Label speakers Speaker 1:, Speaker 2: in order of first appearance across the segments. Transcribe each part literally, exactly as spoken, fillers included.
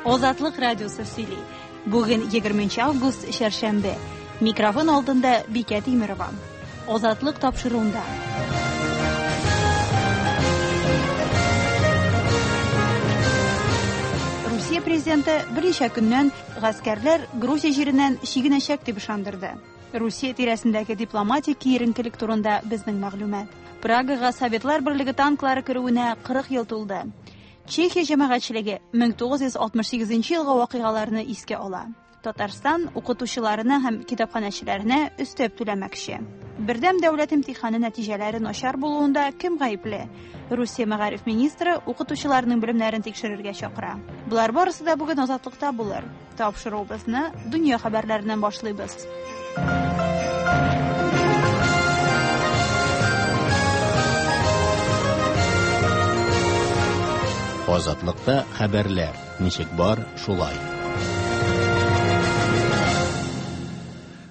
Speaker 1: Азатлык радиосы сөйли. Бүген егерменче август, шәршәмбе. Микрофон алдында Бикә Тимерова. Азатлык тапшыруында. Русия президенты берничә көннән гаскәрләр Грузия җиреннән чигенәчәк дип ышандырды. Русия тирәсендәге дипломатик киеренкелек турында безнең мәгълүмат. Прагага Советлар Берлеге танклары керүенә кырык ел тулды. Чехия җәмәгатьчелеге мең тугыз йөз алтмыш сигезенче елгы вакыйгаларны искә ала. Татарстан укытучыларына һәм китапханәчеләренә өстәп түләмәкче. Бердәм дәүләт имтиханы нәтиҗәләре начар булуында кем гаепле? Русия мәгариф министры укытучыларның белемнәрен тикшерергә чакыра. Болар барысы да бүген Азатлыкта булыр. Тапшыруыбызны дөнья хәбәрләреннән башлыйбыз.
Speaker 2: Азатлыкта хәбәрләр ничек бар, шулай.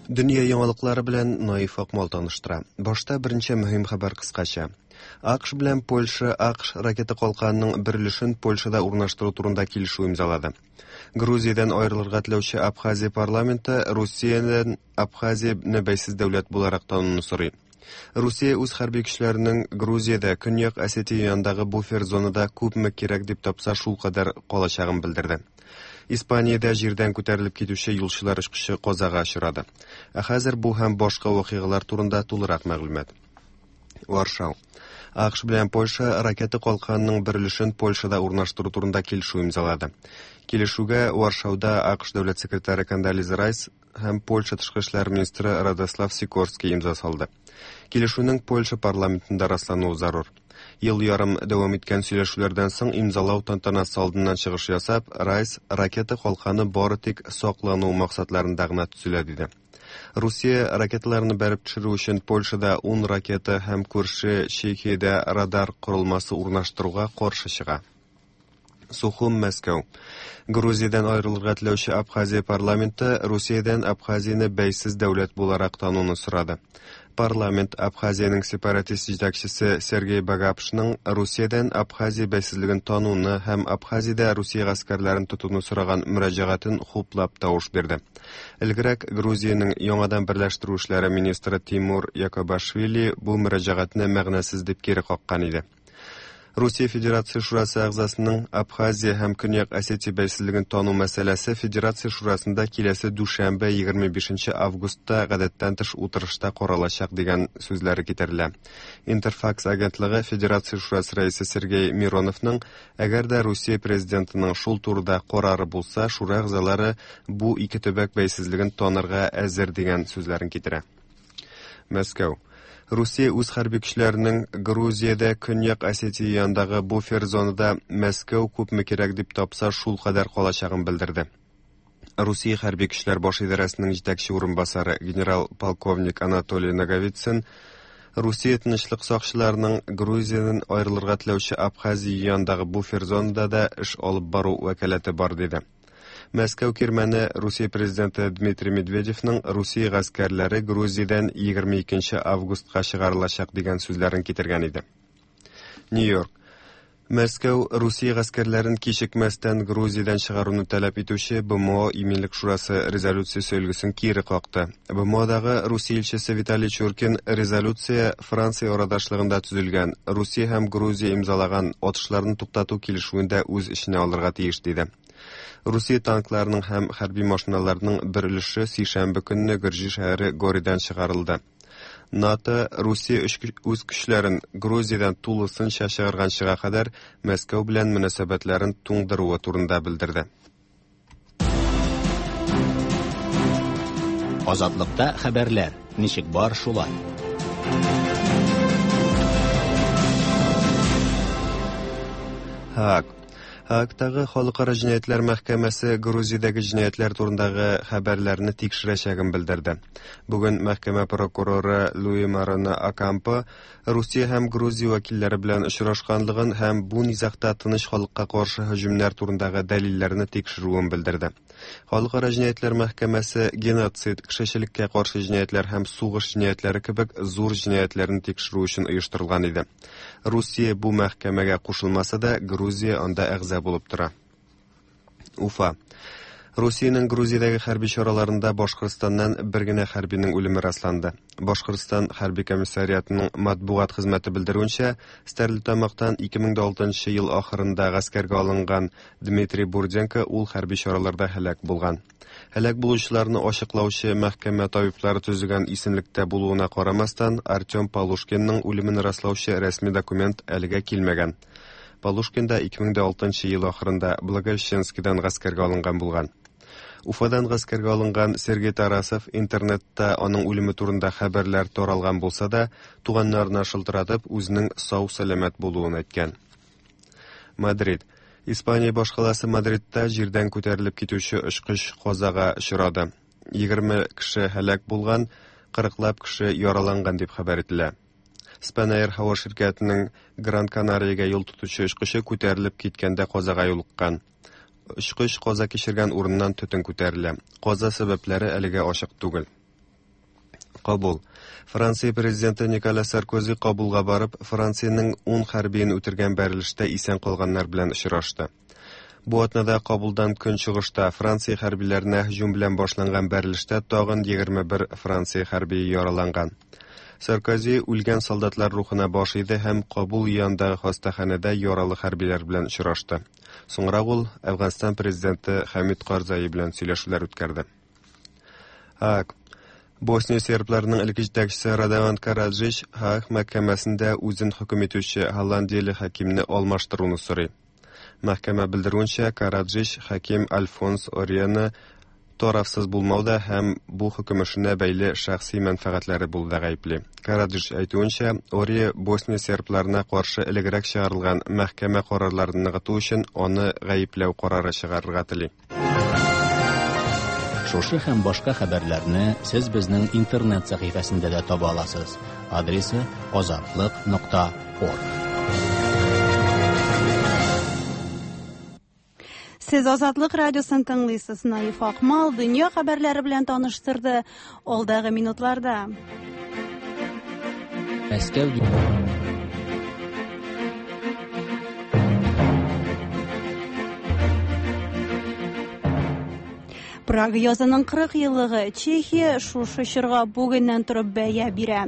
Speaker 3: Дөнья яңалыклары белән Наиф Акмал таныштыра. Башта берничә мөһим хәбәр кыскача. АКШ белән Польша АКШ ракета калканының бер өлешен Польшада урнаштыру турында килешү имзалады. Грузиядән аерылырга теләүче Абхазия парламенты Русиядән Абхазияне бәйсез дәүләт буларак тануны сорый. Русия үз хәрби көчләренең Грузиядә Көньяк Осетия янындагы буфер зонада күпме кирәк дип тапса шул кадәр калачагын белдерде. Испаниядә җирдән күтәрелеп китүче юлчылар очкычы казага очрады. Ә хәзер бу һәм башка вакыйгалар турында тулырак мәгълүмат. Варшау. АКШ белән Польша ракета калканының бер өлешен Польшада урнаштыру турында килешү имзалады. Килешүгә Варшауда АКШ дәүләт секретаре Кондолиза Райс һәм Польша тышкы эшләр министры Радослав Сикорский имза салды. Килешүнең Польша парламентында раслануы зарур. Ел ярым дәвам иткән сөйләшүләрдән соң имзалау тантанасы алдыннан чыгыш ясап, Райс ракета калканы бары тик саклану максатларында гына төзелә диде. Русия ракеталарны бәреп төшерү өчен Польшада ун ракета һәм күрше Чехиядә радар корылмасы урнаштыруга каршы чыга. Сухум, Мәскәү. Грузиядән аерылырга теләүче Абхазия парламенты Русиядән Абхазияне бәйсез дәүләт буларак тануны сорады. Парламент Абхазиянең сепаратист җитәкчесе Сергей Багапшның Русиядән Абхазия бәйсезлеген тануны һәм Абхазиядә Русия гаскәрләрен тотуны сораган мөрәҗәгатен хуплап тавыш бирде. Элгерәк Грузиянең яңадан берләштерү эшләре министры Тимур Якобашвили бу мөрәҗәгатьне мәгънәсез дип кире каккан иде. Русия Федерация Шурасы әгъзасының Абхазия һәм Көньяк Осетия бәйсезлеген тану мәсьәләсе Федерация Шурасында киләсе дүшәмбе егерме бишенче августта гадәттән тыш утырышта каралачак дигән сүзләре китерелә. Интерфакс агентлыгы Федерация Шурасы рәисе Сергей Мироновның әгәр дә Русия президентының шул турыда карары булса, шура әгъзалары бу ике төбәк бәйсезлеген танырга әзер дигән сүзләрен китерә. Мәскәү. Русия үз хәрби көчләренең Грузиядә Көньяк Осетия янындагы буфер зонада Мәскәү күпме кирәк дип тапса шул кадәр калачагын белдерде. Русия хәрби көчләр баш идарәсенең җитәкче урынбасары генерал-полковник Анатолий Наговицын Русия тынычлык сакчыларының Грузиядән аерылырга теләүче Абхазия янындагы буфер зонада да эш алып бару вәкаләте бар диде. Мәскәү кирмәне Русия президенты Дмитрий Медведевның Русия гаскәрләре Грузиядән егерме икенче августка чыгарылачак дигән сүзләрен китергән иде. Нью-Йорк. Мәскәү Русия гаскәрләрен кичекмәстән Грузиядән чыгаруны таләп итүче Б М О Иминлек Шурасы резолюциясе өлгесен кире какты. Б М Одагы Русия илчесе Виталий Чуркин резолюция Франция арадашлыгында төзелгән Русия һәм Грузия имзалаган атышларны туктату килешүен дә үз эченә алырга тиеш диде. Русия танкларының һәм хәрби машиналарының бер өлеше сишәмбе көнне Гөрҗи шәһәре Горидан чыгарылды. НАТО Русия үз көчләрен Грузиядән тулысынча чыгарганчыга кадәр Мәскәү белән мөнәсәбәтләрен туңдыруы турында белдерде.
Speaker 2: Азатлыкта хәбәрләр ничек бар шулай.
Speaker 3: Һааг. Һаагтагы Халыкара җинаятьләр мәхкәмәсе Грузиядәге җинаятьләр турындагы хәбәрләрне тикшерәчәген белдерде. Бүген мәхкәмә прокуроры Луи Мароно Акампо Русия һәм Грузия вәкилләре белән очрашканлыгын һәм бу низагта тыныч халыкка каршы һөҗүмнәр турындагы дәлилләрне тикшерүен белдерде. Халыкара җинаятьләр мәхкәмәсе геноцид, кешелеккә каршы җинаятьләр һәм сугыш җинаятьләре кебек зур җинаятьләрне тикшерү өчен оештырылган иде. Русия бу мәхкәмәгә кушылмаса да, Грузия анда әгъза булып тора. Уфа. Русиянең Грузиядәге хәрби чараларында Башкортстаннан бер генә хәрбинең үлеме расланды. Башкортстан хәрби комиссариатының матбугат хезмәте белдерүенчә, Стәрлетамактан ике мең алтынчы ел ахырында гаскәргә алынган Дмитрий Бурденко ул хәрби чараларда һәлак булган. Һәлак булучыларны ачыклаучы мәхкәмә табиблары төзегән исемлектә булуына карамастан, Артем Полушкинның үлемен раслаучы рәсми документ әлегә килмәгән. Полушкин да ике мең алтынчы ел ахырында Благовещенскидан гаскәргә алынган булган. Уфадан гаскәргә алынган Сергей Тарасов интернетта аның үлеме турында хәбәрләр таралган булса да, туганнарына шылтыратып, үзенең сау-сәламәт булуын әйткән. Мадрид. Испания башкаласы Мадридта җирдән күтәрелеп китүче очкыч казага очрады. Егерме кеше һәлак булган, кырыклап кеше яраланган дип хәбәр ителә. Spanair һава ширкәтенең Гран Канариягә юл тотучы очкычы күтәрелеп киткәндә казага юлыккан. Очкыч каза кичергән урыннан төтен күтәрелә. Каза сәбәпләре әлегә ачык түгел. Кабул. Франция президенты Николя Саркози Кабулга барып, Франциянең ун хәрбиен үтергән бәрелештә исән калганнар белән очрашты. Бу атнада Кабулдан көнчыгышта Франция хәрбиләренә һөҗүм белән башланган бәрелештә тагын егерме бер Франция хәрбие яраланган. Саркози үлгән солдатлар рухына баш иде һәм Кабул янындагы хастаханәдә яралы хәрбиләр белән очрашты. Соңрак ул Әфганстан президенты Хамид Карзай белән сөйләшүләр үткәрде. Һааг. Босния сербларының элек җитәкчесе Радован Караджич Һааг мәхкәмәсендә үзен хөкем итүче голландияле хакимне алмаштыруны сорый. Мәхкәмә белдерүенчә, Караджич хаким Альфонс Орианы тарафсыз булмауда һәм бу хөкем эшенә бәйле шәхси мәнфәгатьләре булуда гаепле. Караджич әйтүенчә, Ория Босния сербларына каршы элегрәк чыгарылган мәхкәмә карарларын ныгыту өчен аны гаепләү карары чыгарырга тели.
Speaker 2: Шушы һәм башка хәбәрләрне сез безнең интернет сәхифәсендә дә таба аласыз. Адресы азатлык нокта орг.
Speaker 1: Сез Азатлык радиосын тыңлыйсыз. Наиф Акмал дөнья хәбәрләре белән таныштырды. Алдагы минутларда.
Speaker 4: Мәскәү
Speaker 1: Прага язының кырык еллыгы. Чехия шушы чорга бүгеннән торып бәя бирә.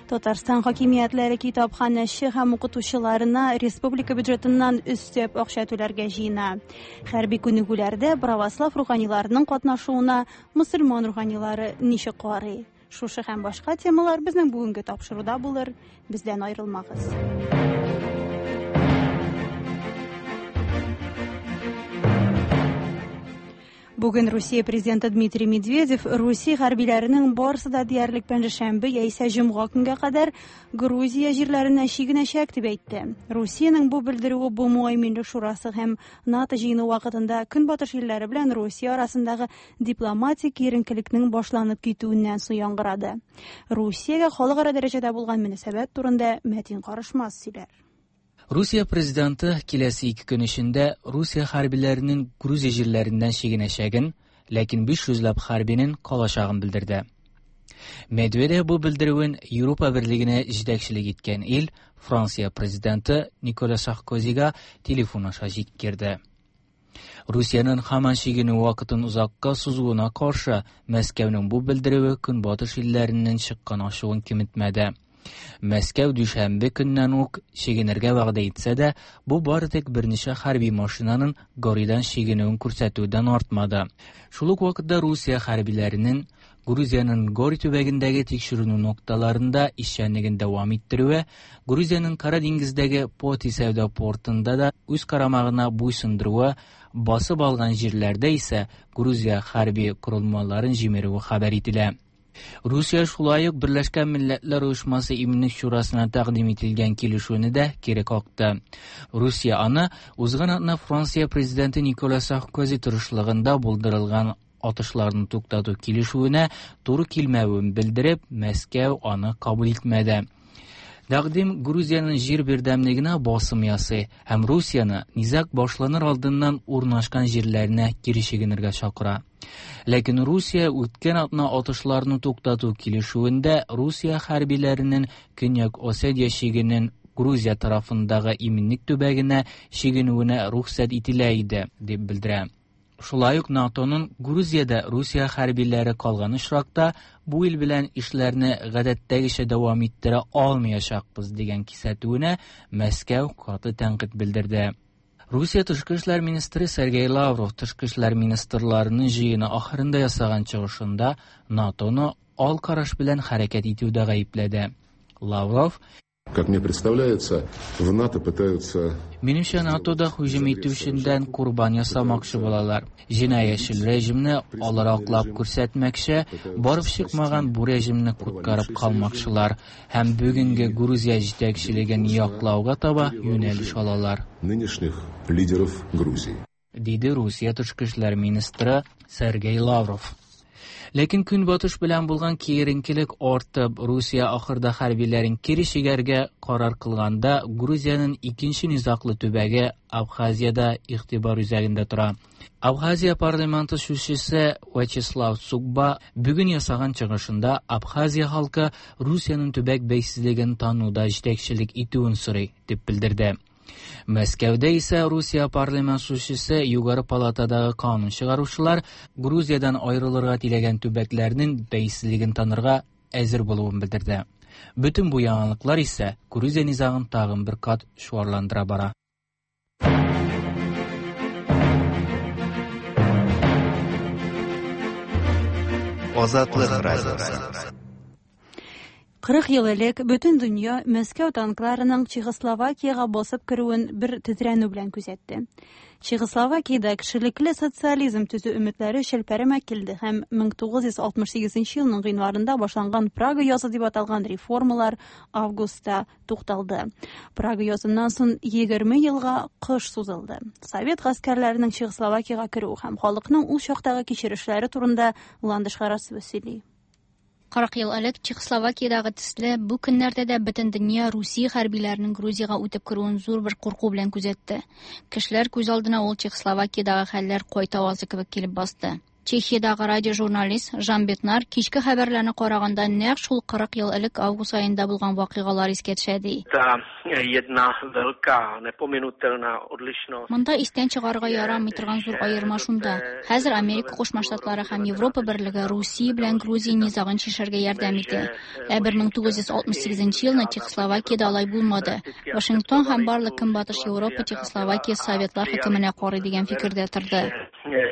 Speaker 1: Татарстан хакимиятләре китапханәче һәм укытучыларына республика бюджетыннан өстәп акча түләргә җыена. Хәрби күнегүләрдә православ руханиларының катнашуына мөселман руханилары ничек карый? Шушы һәм башка темалар безнең бүгенге тапшыруда булыр. Бездән аерылмагыз. Бүген Русия президенты Дмитрий Медведев Русия хәрбиләренең барысы да диярлек пәнҗешәмбе яисә җомга көнгә кадәр Грузия җирләренә чигенәчәк дип әйтте. Русиянең бу белдерүе БМО Иминлек шурасы һәм НАТО җыены вакытында Көнбатыш илләре белән Русия арасындагы дипломатик киеренкелекнең башланып китүеннән соң яңгырады. Русиягә халыкара дәрәҗәдә булган мөнәсәбәт турында Мәтин Карышмас сөйләр.
Speaker 4: Русия президенты киләсе ике көн эчендә Русия хәрбиләренең Грузия җирләреннән чигенәчәген, ләкин биш йөзләп хәрбинең калачагын белдерде. Медведев бу белдерүен Европа берлегенә җитәкчелек иткән ил Франция президенты Николя Саркозига телефон аша җиткерде. Русиянең һаман чигенү вакытын озакка сузуына каршы Мәскәүнең бу белдерүе Көнбатыш илләреннән чыккан ачуын киметмәде. Мәскәү дүшәмбе көннән үк чигенергә вәгъдә итсә дә, бу бары тик берничә хәрби машинаның Горидан чигенүен күрсәтүдән артмады. Шул ук вакытта Русия хәрбиләренең Грузиянең Гори төбәгендәге тикшеренү нокталарында эшчәнлеген дәвам иттерүе, Грузиянең Кара диңгездәге Поти сәүдә портында да үз карамагына буйсындыруы, басып алган җирләрдә исә Грузия хәрби корылмаларын җимерүе хәбәр ителә. Русия шулай ук Берләшкән Милләтләр Оешмасы Иминлек Шурасына тәкъдим ителгән килешүне дә кире какты. Русия аны узган атна Франция президенты Николя Саркози тырышлыгында булдырылган атышларны туктату килешүенә туры килмәвен белдереп, Мәскәү аны кабул итмәде. Тәкъдим Грузиянең җир бердәмлегенә басым ясый һәм Русияне низаг башланыр алдыннан урнашкан җирләренә кире чигенергә чакыра. Ләкин Русия үткән атна атышларны туктату килешүендә Русия хәрбиләренең Көньяк Осетия чигенең Грузия тарафындагы иминлек төбәгенә чигенүенә рөхсәт ителә иде, дип белдерә. Шулай ук НАТОның Грузиядә Русия хәрбиләре калган очракта бу ил белән эшләрне гадәттәгечә дәвам иттерә алмаячакбыз дигән кисәтүенә Мәскәү каты тәнкыйть белдерде. Русия тышкы эшләр министры Сергей Лавров тышкы эшләр министрларының җыены ахырында ясаган чыгышында НАТОны ал караш белән хәрәкәт итүдә гаепләде. Лавров:
Speaker 5: Как мне представляется, в НАТО пытаются...
Speaker 4: Минемчә, НАТОда һөҗүм итүчедән корбан ясамакчы булалар. Җинаятьчел режимны алар аклап күрсәтмәкче, барып чыкмаган бу режимны коткарып калмакчылар һәм бүгенге Грузия җитәкчелеген яклауга таба юнәлеш алалар.
Speaker 5: Нынешних лидеров Грузии.
Speaker 4: Диде Русия тышкы эшләр министры Сергей Лавров. Ләкин Көнбатыш белән булган киеренкелек артып, Русия ахырда хәрбиләрен кире чигәргә карар кылганда, Грузиянең икенче низаглы төбәге Абхазиядә игътибар үзәгендә тора. Абхазия парламенты сүзчесе Вячеслав Цугба бүген ясаган чыгышында Абхазия халкы Русиянең төбәк бәйсезлеген тануда җитәкчелек итүен сорый, дип белдерде. Мәскәүдә исә Русия парламент сүзчесе Югары палатадагы канун чыгаручылар Грузиядән аерылырга теләгән төбәкләрнең бәйсезлеген танырга әзер булуын белдерде. Бөтен бу яңалыклар исә Грузия низагын тагын бер кат чуарландыра бара.
Speaker 3: Азатлык радиосы.
Speaker 1: Кырык ел элек бөтен дөнья Мәскәү танкларының Чехословакиягә басып керүен бер тетрәнү белән күзәтте. Чехословакиядә кешелекле социализм төзү өметләре челпәрәмә килде һәм мең тугыз йөз алтмыш сигезенче елның гыйнварында башланган Прага язы дип аталган реформалар августта тукталды. Прага языннан соң егерме елга кыш сузылды. Совет гаскәрләренең Чехословакиягә керүе һәм халыкның ул чактагы кичерешләре турында Ландыш Харасова сөйли.
Speaker 6: Кырык ел элек Чехословакиядагы төсле бу көннәрдә дә бөтен дөнья Русия хәрбиләренең Грузиягә үтеп керүен зур бер курку белән күзәтте. Кешеләр күз алдына ул Чехословакиядагы хәлләр кайта авазы кебек килеп басты. Чехиядагы радиожурналист Жан Бетнар кичке хәбәрләрне караганда нәкъ шул кырык ел элек август аенда булган вакыйгалар искә төшә ди. Монда истән чыгарырга ярамый торган зур аерма шунда. Хәзер Америка Кушма Штатлары һәм Европа берлеге Русия белән Грузия низагын чишәргә ярдәм итә. Ә бер мең тугыз йөз алтмыш сигезенче елны Чехословакиядә алай булмады. Вашингтон һәм барлык Көнбатыш Европа Чехословакия Советлар хөкеменә карый дигән фикердә торды.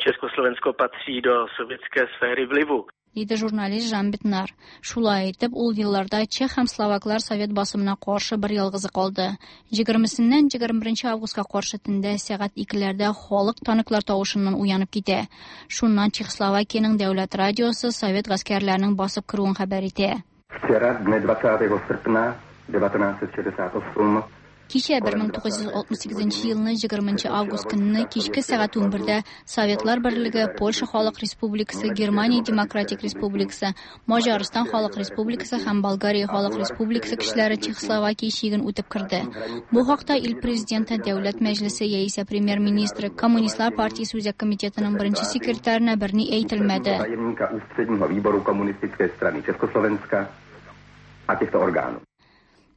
Speaker 7: Československo patří do sovětské sféry vlivu.
Speaker 6: Диде журналист Жан Бетнар. Шулай итеп, ул елларда чех һәм словаклар совет басымына каршы бер ялгызы калды. Егермесеннән егерме беренче августка каршы төндә сәгать икеләрдә халык танклар тавышыннан уянып китә. Шуннан Чехословакиянең дәүләт радиосы совет гаскәрләренең басып керүен хәбәр итә.
Speaker 8: Вчера, дне двадцатого серпня девятнадцать шестьдесят восемь,
Speaker 6: Кичә бер мең тугыз йөз алтмыш сигезенче елны егерменче август көнне кичке сәгать унбердә Советлар Берлеге, Польша Халык Республикасы, Германия Демократик Республикасы, Маҗарстан Халык Республикасы һәм Болгария Халык Республикасы кешеләре Чехословакия чиген үтеп керде. Бу хакта ил президенты, Дәүләт Мәҗлесе яисә премьер-министры, Коммунистлар партиясе үзәк комитетының беренче секретарына берни әйтелмәде.
Speaker 8: Tajemníka ústředního výboru Komunistické strany Československa a těchto orgánů.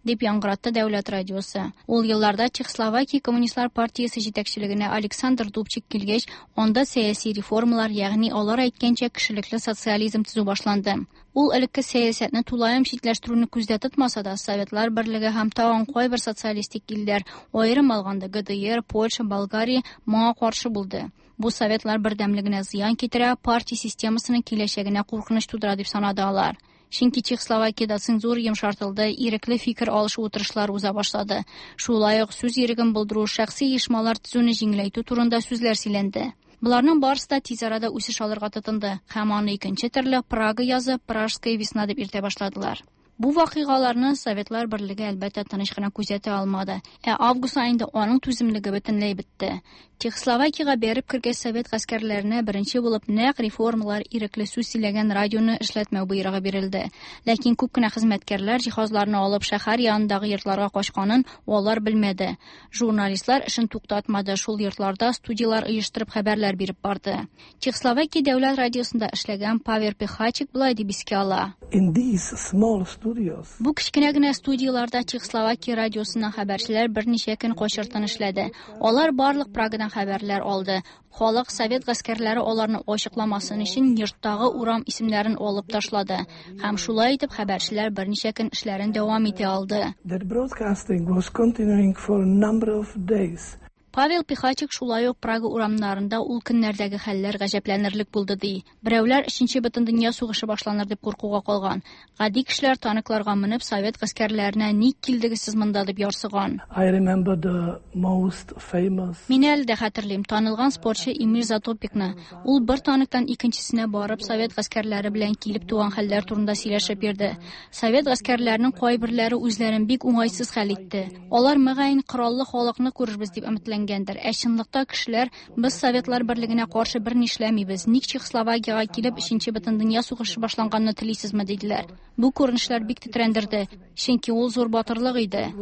Speaker 6: Дип яңгыратты дәүләт радиосы. Ул елларда Чехословакия Коммунистлар партиясе җитәкчелегенә Александр Дубчик килгәч, анда сәяси реформалар, ягъни алар әйткәнчә кешелекле социализм төзү башланды. Ул элекке сәясәтне тулаем читләштерүне күздә тотмаса да, Советлар Берлеге һәм тагын кайбер социалистик илләр, аерым алганда Г Д Р, Польша, Болгария моңа каршы булды. Бу Советлар бердәмлегенә зыян китерә, партия системасының киләчәгенә куркыныч тудыра дип санады алар. Чөнки Чехословакиядә цензура йомшартылды, ирекле фикер алышу утырышлары уза башлады. Шулай ук сүз иреген булдыру, шәхси оешмалар төзүне җиңеләйтү турында сүзләр сөйләнде. Боларның барысы да тиз арада үсеш алырга тотынды һәм аны икенче төрле Прага язы, Пражская весна дип йөртә башладылар. Бу вакыйгаларны Советлар Берлеге әлбәттә тыныч кына күзәтә алмады. Ә август аенда аның түземлеге бөтенләй бетте. Чехословакиягә бәреп кергән совет гаскәрләренә беренче булып нәкъ реформалар ирекле сүз сөйләгән радионы эшләтмәү боерыгы бирелде. Ләкин күп кенә хезмәткәрләр җиһазларны алып шәһәр янындагы йортларга качканын алар белмәде. Журналистлар эшен туктатмады, шул йортларда студиялар оештырып хәбәрләр биреп барды. Чехословакия дәүләт радиосында эшләгән Павел Пехачик болай дип искә ала.
Speaker 9: In these small studios.
Speaker 6: Бу кечкенә генә студияларда Чехословакия радиосыннан хәбәрчеләр берничә көн качыртын эшләде. Алар барлык Прагадан хәбәрләр алды. Халык совет гаскәрләре аларны ачыкламасын өчен йорттагы урам исемнәрен алып ташлады. Һәм шулай итеп хәбәрчеләр берничә көн эшләрен дәвам итә алды.
Speaker 9: That broadcasting was continuing for a number of days.
Speaker 6: Павел Пихачик шулай ук Прага урамнарында ул көннәрдәге хәлләр гаҗәпләнерлек булды ди. Берәүләр Өченче бөтендөнья сугышы башланыр дип куркуга калган. Гади кешеләр танкларга менеп совет гаскәрләренә ник килдегез сез монда дип ярсыган.
Speaker 9: I remember the most famous.
Speaker 6: Мин әле дә хәтерлим танылган спортчы Эмиль Затопикны. Ул бер танктан икенчесенә барып совет гаскәрләре белән килеп туган хәлләр турында сөйләшеп йөрде. Совет гаскәрләренең кайберләре үзләрен бик уңайсыз хәл итте. Алар мөгаен кораллы халыкны күрербез дип өметләнгән. Ә чынлыкта кешеләр без Советлар берлегенә каршы бер нишләмибез. Ник Чехословакиягә килеп Өченче бөтендөнья сугышы башланганны телисезме диделәр. Бу күренешләр бик тетрәндерде, чөнки ул зур батырлык иде.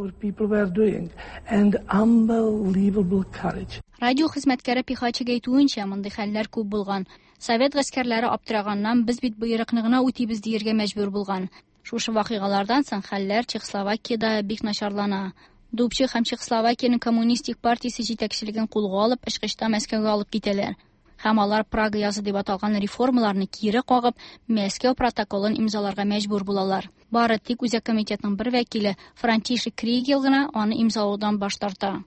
Speaker 6: Радио хезмәткәре Пихачик әйтүенчә, мондый хәлләр күп булган. Совет гаскәрләре аптыраганнан без бит боерыкны гына үтибез дияргә мәҗбүр булган. Шушы вакыйгалардан соң хәлләр Чехословакиядә бик начарлана. Дубчик һәм Чехословакиянең коммунистик партиясе җитәкчелеген кулга алып, ышкычта Мәскәүгә алып китәләр. Һәм алар Прага язы дип аталган реформаларны кире кагып, Мәскәү протоколын имзаларга мәҗбүр булалар. Бары тик Үзәк комитетның бер вәкиле Франтишек Кригел гына аны имзалаудан баш тарта.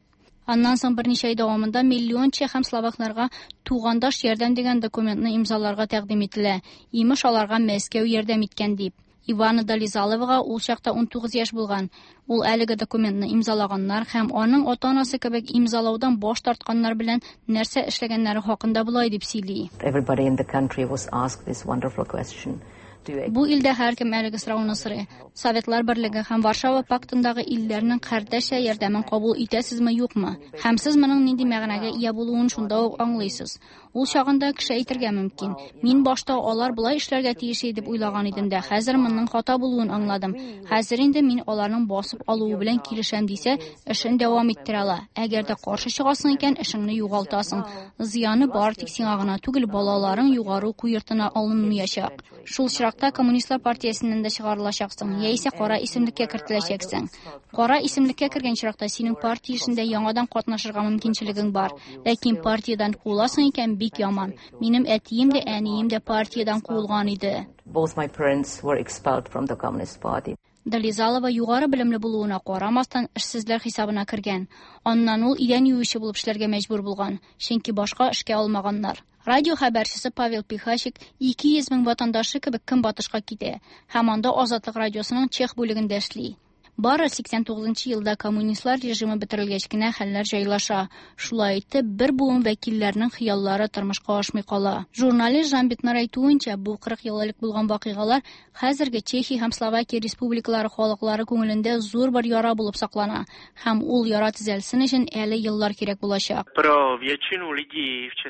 Speaker 6: Аннан соң берничә ай дәвамында миллион чех һәм словакларга тугандаш ярдәм дигән документны имзаларга тәкъдим ителә. Имеш аларга Мәскәү ярдәм иткән дип. Ивана Долизаловага ул чакта ун тугыз яшь булган. Ул әлеге документны имзалаганнар һәм аның ата-анасы кебек имзалаудан баш тартканнар белән нәрсә эшләгәннәре хакында болай дип сөйли.
Speaker 10: Everybody in the country was asked this wonderful question.
Speaker 6: Бу илдә һәркем әлеге сорауны сорый. Советлар берлеге һәм Варшава пактындагы илләрнең кардәшчә ярдәмен кабул итәсезме, юкмы? Һәм сез моның нинди мәгънәгә ия булуын шунда ук аңлыйсыз. Ул чагында кеше әйтергә мөмкин: "Мин башта алар болай эшләргә тиеш дип уйлаган идем дә, хәзер моның хата булуын аңладым. Хәзер инде мин аларның басып алуы белән килешәм" дисә, эшен дәвам иттерә ала. Әгәр дә каршы чыгасың икән, эшеңне югалтасың. Зыяны бар тик сиңа гына түгел, балаларың югары уку йортына алынмаячак. Шул очракта Коммунистлар партиясеннән дә чыгарылачаксың, яисә кара исемлеккә кертеләчәксең. Кара исемлеккә кергән очракта синең партия эшендә яңадан катнашырга мөмкинчелегең бар. Ләкин партиядән куыласың икән, бик яман. Минем әтием дә, әнием дә партиядән куылган иде.
Speaker 10: Both my parents were expelled from the Communist Party.
Speaker 6: Долизалова югары белемле булуына карамастан эшсезләр хисабына кергән. Аннан ул идән юучы булып эшләргә мәҗбүр булган, чөнки башка эшкә алмаганнар. Радио хәбәрчесе Павел Пихачик ике йөз мең ватандашы кебек көнбатышка китә һәм анда Азатлык радиосының чех бүлегендә эшли. Бары сиксән тугызынчы елда коммунистлар режимы бетерелгәч кенә хәлләр җайлаша. Шулай итеп, бер буын вәкилләренең хыяллары тормышка ашмый кала. Журналист Жан Бетнар әйтүенчә, бу кырык ел элек булган вакыйгалар хәзерге Чехия һәм Словакия республикалары халыклары күңелендә зур бер яра булып саклана һәм ул яра төзәлсен өчен әле еллар кирәк булачак.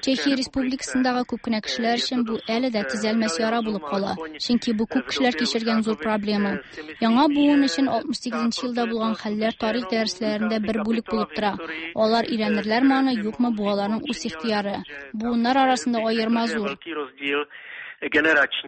Speaker 6: Чехия республикасындагы күп кенә кешеләр өчен бу әле дә төзәлмәс яра булып кала, чөнки бу күп кешеләр кичергән зур проблема. Яңа буын өчен алтмыш сигезенче елда булган хәлләр тарих дәресләрендә бер бүлек булып тора. Алар өйрәнерләрме аны, юкмы, бу аларның үз ихтыяры. Буыннар арасында аерма зур,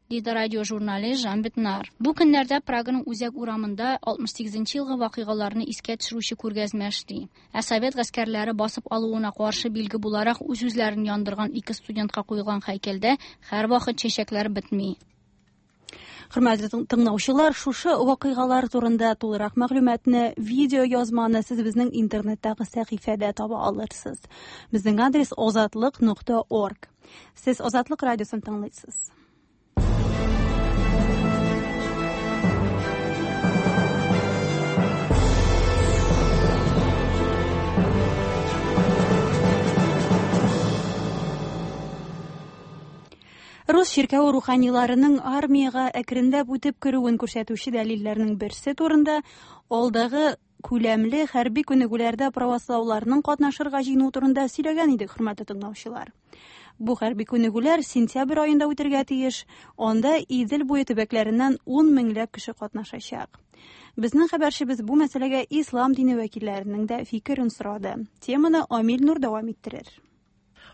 Speaker 6: диде радиожурналист Жан Бетнар. Бу көннәрдә Праганың үзәк урамында алтмыш сигезенче елгы вакыйгаларны искә төшерүче күргәзмә эшли. Ә совет гаскәрләре басып алуына каршы билге буларак үз-үзләрен яндырган ике студентка куелган һәйкәлдә һәрвакыт чәчәкләр бетми.
Speaker 1: Хөрмәтле тыңлаучылар, шушы вакыйгалар турында тулырак мәгълүматны, видео язманы сез безнең интернеттагы сәхифәдә таба алырсыз. Безнең адрес озатлык нокта орг. Сез Азатлык радиосын тыңлыйсыз. Рус чиркәүе руханиларының армиягә әкренләп үтеп керүен күрсәтүче дәлилләрнең берсе турында алдагы күләмле хәрби күнегүләрдә правослауларның катнашырга җыенуы турында сөйләгән идек, хөрмәтле тыңлаучылар. Бу хәрби күнегүләр сентябрь аенда үтергә тиеш. Анда Идел буе төбәкләреннән ун меңләп кеше катнашачак. Безнең хәбәрчебез бу мәсьәләгә ислам дине вәкилләренең дә фикерен сорады. Теманы Амил Нур дәвам иттерер.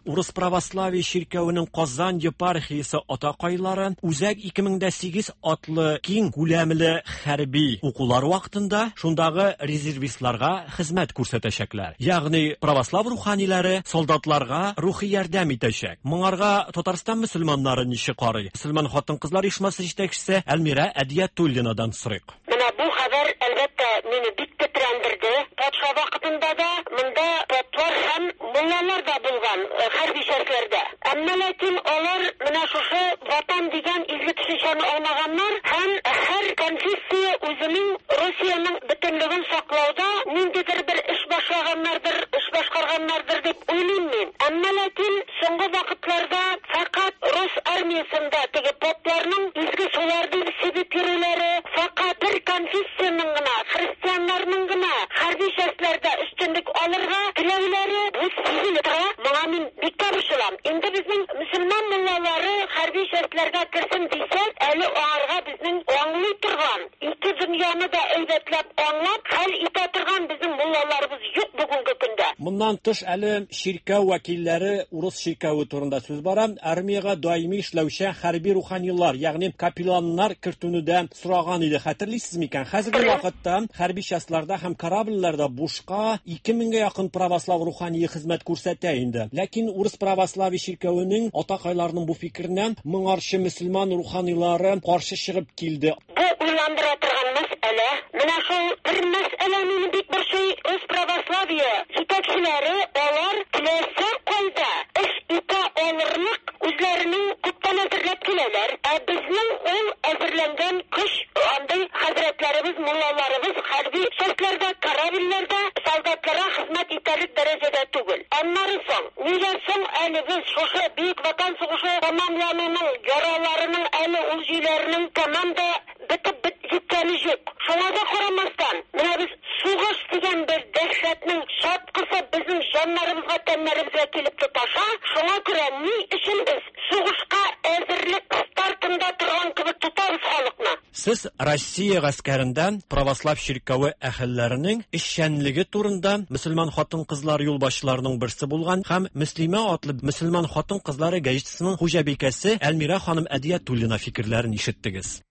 Speaker 11: Урыс православие чиркәвенең Казан епархиясе атакайлары Үзәк ике мең дә сигез атлы киң күләмле хәрби укулар вакытында шундагы резервистларга хезмәт күрсәтәчәкләр. Ягъни православ руханилары солдатларга рухи ярдәм итәчәк. Моңарга Татарстан мөселманнары ничек карый? Мөселман хатын-кызлар оешмасы җитәкчесе Әлмирә Әдиятуллинадан сорыйк.
Speaker 12: Менә бу хәбәр әлбәттә мине бик тетрәндерде. Патша вакытында да монда поплар һәм муллалар да булган хәрби частьләрдә. Әмма ләкин алар менә шушы ватан дигән изге төшенчәне алмаганнар һәм һәр конфессия үзенең Русиянең бөтенлеген саклауда ниндидер бер эш башлаганнардыр, эш башкарганнардыр дип уйлыйм мин. Әмма ләкин соңгы вакытларда фақат рус армиясендә теге попларның изге суларны сибеп йөрүләре, фақат бер конфессиянең генә, христианнарның гына хәрби частьләрдә өстенлек алырга теләүләре бу сизелеп тора. Моңа мин бик тә борчылам. Инде безнең мөселман муллалары хәрби частьләргә керсен дисәк, әле аңарга безнең аңлый торган, ике дөньяны да әйбәтләп аңлап, хәл итә торган безнең муллаларыбыз юк бүгенге көндә.
Speaker 11: Моннан тыш әле чиркәү вәкилләре, урыс чиркәве турында сүз бара, армиягә даими эшләүче хәрби руханилар, ягъни капелланнар кертүне дә сораган иде. Хәтерлисез микән? Хәзерге вакытта хәрби частьларда һәм корабльләрдә бушка ике меңгә якын православ рухание хезмәт күрсәтә инде. Ләкин урыс православие чиркәвенең атакайларының бу фикеренә моңарчы мөселман руханилары каршы чыгып килде.
Speaker 12: Бу уйландыра торган мәсьәлә. Менә шул бер мәсьәлә мине бик борчый. Рус православие җитәкчеләре алар теләсә кайда эш итә алырлык үзләренең күптән әзерләп киләләр. Ә безнең ул әзерләнгән көч андый хәзрәтләребез, муллаларыбыз хәрби частьләрдә, корабльләрдә солдатларга хезмәт итәрлек дәрәҗәдә түгел. Аннары соң, нигә соң әле без шушы Бөек Ватан сугышы тәмамлануның яраларының әле ул җөйләренең тәмам да бетеп җиткәне юк. Шуңа да карамастан, менә без сугыш дигән бер дәһшәтнең чаткысы безнең җаннарыбызга, тәннәребезгә килеп тоташа. Шуңа күрә ни өчен без сугышка әзерлек стартында торган кебек тотабыз халыкны?
Speaker 11: Сез Россия гаскәрендә православ чиркәве әһелләренең эшчәнлеге турында мөселман хатын-кызлар юлбашчыларының берсе булган һәм Мөслимә атлы мөселман хатын-кызлары газетасының хуҗабикәсе Әлмирә ханым Әдиятуллина фикерләрен ишеттегез.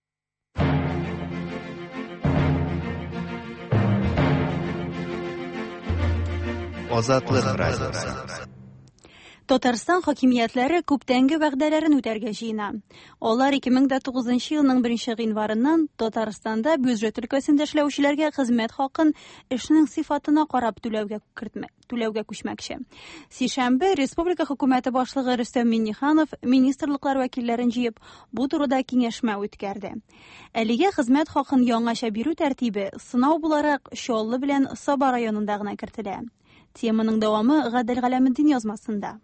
Speaker 3: Азатлык радиосы.
Speaker 1: Татарстан хакимиятләре күптәнге вәгъдәләрен үтәргә җыена. Алар ике мең дә тугызынчы елның беренче гыйнварыннан Татарстанда бюджет өлкәсендә эшләүчеләргә хезмәт хакын эшнең сыйфатына карап түләүгә кертмә, түләүгә күчмәкче. Сишәмбе республика хөкүмәте башлыгы Рөстәм Миңнеханов министрлыклар вәкилләрен җыеп, бу турыда киңәшмә үткәрде. Әлегә хезмәт хакын яңача бирү тәртибе сынау буларак Чаллы белән Саба районында гына кертелә. Теманың дәвамы Гадел Галәметдин язмасында.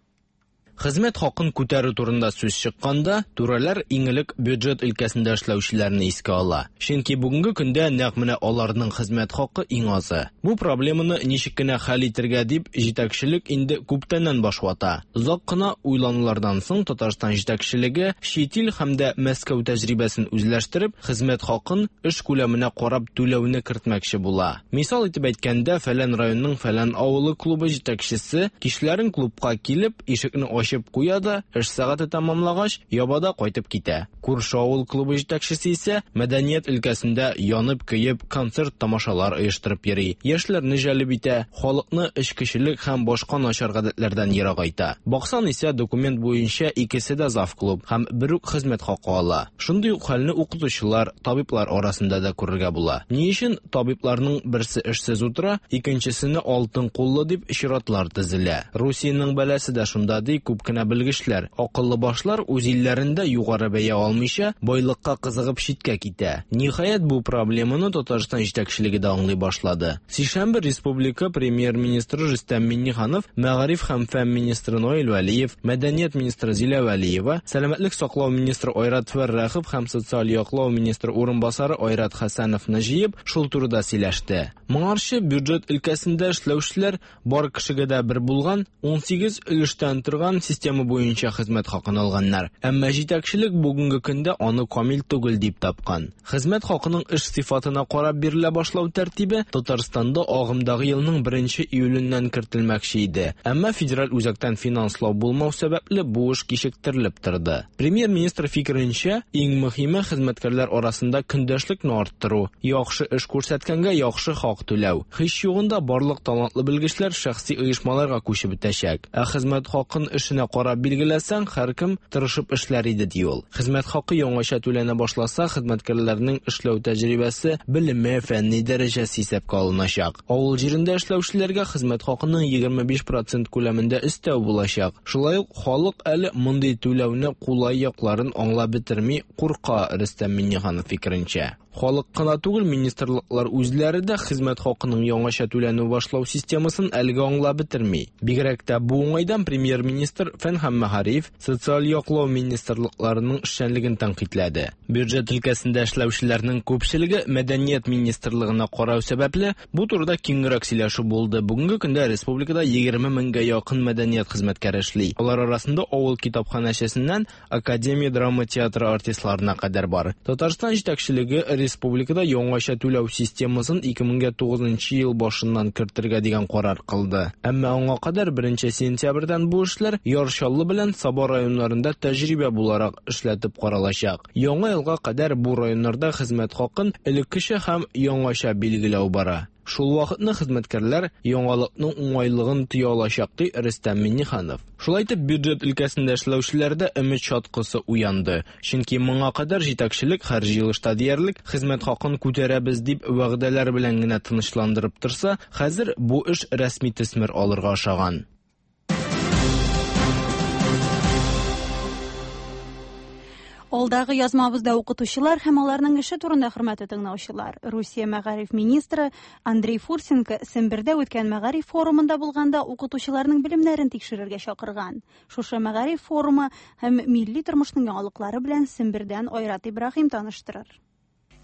Speaker 13: Хезмәт хакын күтәрү турында сүз чыкканда, түрәләр иң элек бюджет өлкәсендә эшләүчеләрне искә ала. Чөнки бүгенге көндә нәкъ менә аларның хезмәт хакы иң азы. Бу проблеманы ничек кенә хәл итәргә дип җитәкчелек инде күптәннән баш вата. Озак кына уйланулардан соң Татарстан җитәкчелеге чит ил һәм дә Мәскәү тәҗрибәсен үзләштереп, хезмәт хакын эш күләменә карап түләүне кертмәкче була. Мисал итеп әйткәндә, фәлән районның фәлән авылы клубы җитәкчесе кичләрен клубка килеп, ишекне ачып куя да, эш сәгате тәмамлагач, ябада кайтып китә. Күрше авыл клубы җитәкчесе исә мәдәният өлкәсендә янып-көеп концерт тамашалар оештырып йөри. Яшьләрне җәлеп итә, халыкны эчкечелек һәм башка начар гадәтләрдән ерагайта. Баксан исә документ буенча икесе дә зав клуб һәм бер үк хезмәт хакы ала. Шундый ук хәлне укытучылар, табиблар арасында да күрергә була. Ни өчен табибларның берсе эшсез утыра, икенчесене алтын куллы дип чиратлар тезелә. Русиянең бәласе дә шунда, ди күп кенә белгечләр. Акыллы башлар үз илләрендә югары бәя алмыйча, байлыкка кызыгып читкә китә. Ниһаять, бу проблеманы Татарстан җитәкчелеге дә аңлый башлады. Сишәмбе республика премьер-министры Рөстәм Миңнеханов, мәгариф һәм фән министры Наил Вәлиев, мәдәният министры Зилә Вәлиева, сәламәтлек саклау министры Айрат Фәррахов һәм социаль яклау министры урынбасары Айрат Хәсәновны җыеп, шул турыда сөйләште. Моңарчы бюджет өлкәсендә эшләүчеләр бар кешегә дә бер булган ун сигез өлештән торган Яңартылган система буенча хезмәт хакын алганнар. Әмма җитәкчелек бүгенге көндә аны камил түгел дип тапкан. Хезмәт хакының эш сыйфатына карап бирелә башлау тәртибе Татарстанда агымдагы елның беренче июленнән кертелмәкче иде. Әмма федераль үзәктән финанслау булмау сәбәпле бу эш кичектерелеп торды. Премьер-министр фикеренчә, иң мөһиме хезмәткәрләр арасында көндәшлекне арттыру, яхшы эш күрсәткәнгә яхшы хак түләү. Һич югында барлык талантлы белгечләр шәхси оешмаларга күчеп бетәчәк. Ә хезмәт хакын эшенә карап билгеләсәң, һәркем тырышып эшләр иде, ди ул. Хезмәт хакы яңача түләнә башласа, хезмәткәрләрнең эшләү тәҗрибәсе, белеме, фәнни дәрәҗәсе исәпкә алыначак. Авыл җирендә эшләүчеләргә хезмәт хакының егерме биш процент күләмендә өстәү булачак. Шулай ук халык әле мондый түләүне кулай якларын аңлап бетерми, курка, Рөстәм Миңнеханов фикеренчә. Халык кына түгел, министрлыклар үзләре дә хезмәт хакының яңача түләнү башлау системасын әлегә аңлап бетерми. Бигрәк тә бу уңайдан премьер-министр Фән һәм мәгариф, социаль яклау министрлыкларының эшчәнлеген тәнкыйтьләде. Бюджет өлкәсендә эшләүчеләрнең күпчелеге мәдәният министрлыгына карау сәбәпле, бу турыда киңрәк сөйләшү булды. Бүгенге көндә республикада егерме меңгә якын мәдәният хезмәткәре эшли. Алар арасында авыл китапханәчесеннән академия драма театры артистларына кадәр бар. Татарстан җитәкчелеге республикада яңача түләү системасын ике мең тугызынчы ел башыннан кертергә дигән карар кылды. Әмма аңа кадәр беренче сентябрьдән бу эшләр Яр Чаллы белән Саба районнарында тәҗрибә буларак эшләтеп каралачак. Яңа елга кадәр бу районнарда хезмәт хакын элеккечә һәм яңача билгеләү бара. Шул вакытны хезмәткәрләр яңалыкның уңайлыгын тоя алачак, ди Рөстәм Миңнеханов. Шулай итеп, бюджет өлкәсендә эшләүчеләрдә өмет чаткысы уянды. Чөнки моңа кадәр җитәкчелек һәр җыелышта диярлек хезмәт хакын күтәрәбез дип вәгъдәләр белән генә тынычландырып торса, хәзер бу эш рәсми төсмер алырга ашаган.
Speaker 1: Алдагы язмабызда укытучылар һәм аларның эше турында хөрмәтле тыңлаучылар. Русия мәгариф министры Андрей Фурсенко Сембердә үткән мәгариф форумында булганда укытучыларның белемнәрен тикшерергә чакырган. Шушы мәгариф форумы һәм милли тормышның яңалыклары белән Сембердән Айрат Ибраһим таныштырыр.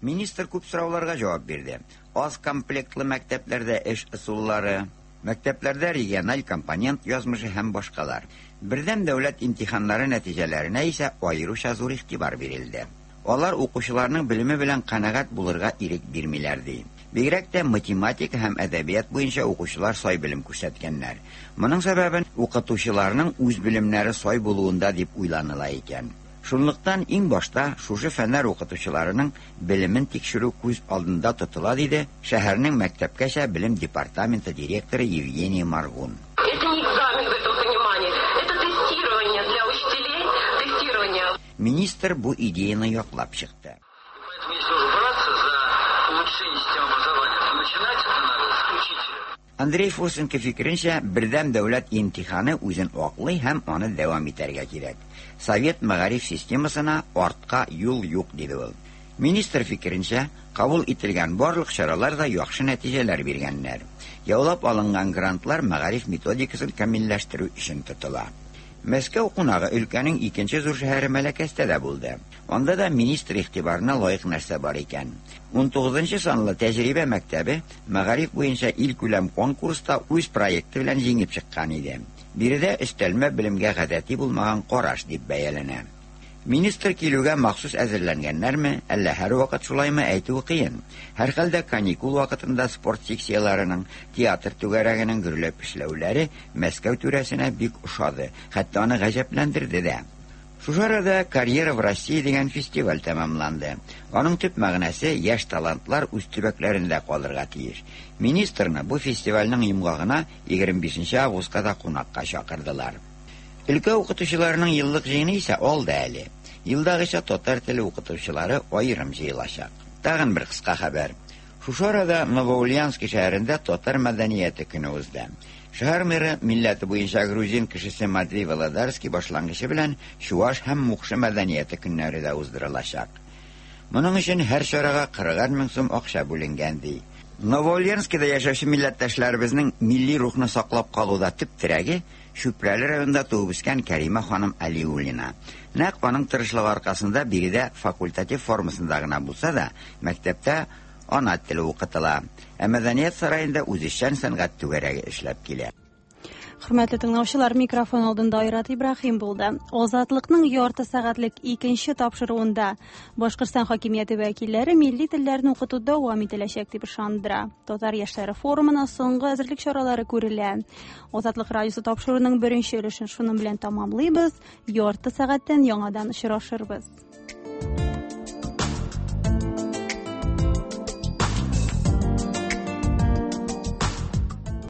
Speaker 14: Министр күп сорауларга җавап бирде. Аз комплектлы мәктәпләрдә эш ысуллары, мәктәпләрдә региональ компонент язмышы һәм башкалар. Бердәм дәүләт имтиханнары нәтиҗәләренә исә аеруча зур игътибар бирелде. Алар укучыларның белеме белән канәгать булырга ирек бирмиләр, ди. Бигрәк тә математика һәм әдәбият буенча укучылар сай белем күрсәткәннәр. Моның сәбәбен укытучыларның үз белемнәре сай булуында дип уйланыла икән. Шунлыктан иң башта шушы фәннәр укытучыларының белемен тикшерү күз алдында тотыла, диде шәһәрнең мәктәпкәчә белем департаменты директоры Евгений Маргун.
Speaker 15: Это не экзамен в этом понимании, это тестирование для учителей, тестирование.
Speaker 14: Министр бу идеяны яклап чыкты.
Speaker 16: Поэтому если уже браться за улучшение системы образования, то начинать это надо с учителя.
Speaker 14: Андрей Фурсенко фикеренчә, бердәм дәүләт имтиханы үзен аклый һәм аны дәвам итәргә кирәк. Совет мәгариф системасына артка юл юк, диде ул. Министр фикеренчә, кабул ителгән барлык чаралар да яхшы нәтиҗәләр биргәннәр. Яулап алынган грантлар мәгариф методикасын камилләштерү өчен тотыла. Мәскәү кунагы өлкәнең икенче зур шәһәре Мәләкәстә дә булды. Анда да министр игътибарына лаек нәрсә бар икән. ун тугызынчы санлы тәҗрибә мәктәбе мәгариф буенча илкүләм конкурста үз проекты белән җиңеп чыккан иде. Биредә өстәлмә белемгә гадәти булмаган караш дип бәяләнә. Министр килүгә махсус әзерләнгәннәрме, әллә һәр вакыт шулаймы әйтүе кыен. Һәр хәлдә каникул вакытында спорт секцияларының, театр түгәрәгенең гөрләп эшләүләре Мәскәү түрәсенә бик ошады, хәтта аны гаҗәпләндерде дә. Шушы арада «Карьера в России» дигән фестиваль тәмамланды. Аның төп мәгънәсе яшь талантлар үз төбәкләрендә калырга тиеш. Министрны бу фестивальнең йомгагына егерме бишенче августка да кунакка чакырдылар. Өлкә укытучыларының еллык җыены исә алда әле. Елдагыча татар теле укытучылары аерым җыелачак. Тагын бер кыска хәбәр. Шушы арада Новоульянский шәһәрендә татар мәдәнияте көне узды. Шәһәр мэры милләте буенча грузин кешесе Матвей Володарский башлангычы белән чуаш һәм мукшы мәдәнияте көннәре дә уздырылачак. Моның өчен һәр чарага кырыгар мең сум акча бүленгән, ди. Новоульянскийда яшәүче милләттәшләребезнең милли рухны саклап калуда төп терәге Чүпрәле районында туып үскән Кәримә ханым Алиуллина. Нәкъ аның тырышлыгы аркасында биредә факультатив формасында гына булса да, мәктәптә ана теле укытыла. Ә мәдәният сараенда үзешчән сәнгать түгәрәге эшләп килә.
Speaker 1: Хөрмәтле тыңлаучылар, микрофон алдында Айрат Ибраһим булды. Азатлыкның ярты сәгатьлек икенче тапшыруында Башкортстан хакимияте вәкилләре милли телләрне укыту дәвам ителәчәк дип ышандыра. Татар яшьләре форумына соңгы әзерлек чаралары күрелә. Азатлык радиосы тапшыруының беренче өлешен шуның белән тәмамлыйбыз. Ярты сәгатьтән яңадан очрашырбыз.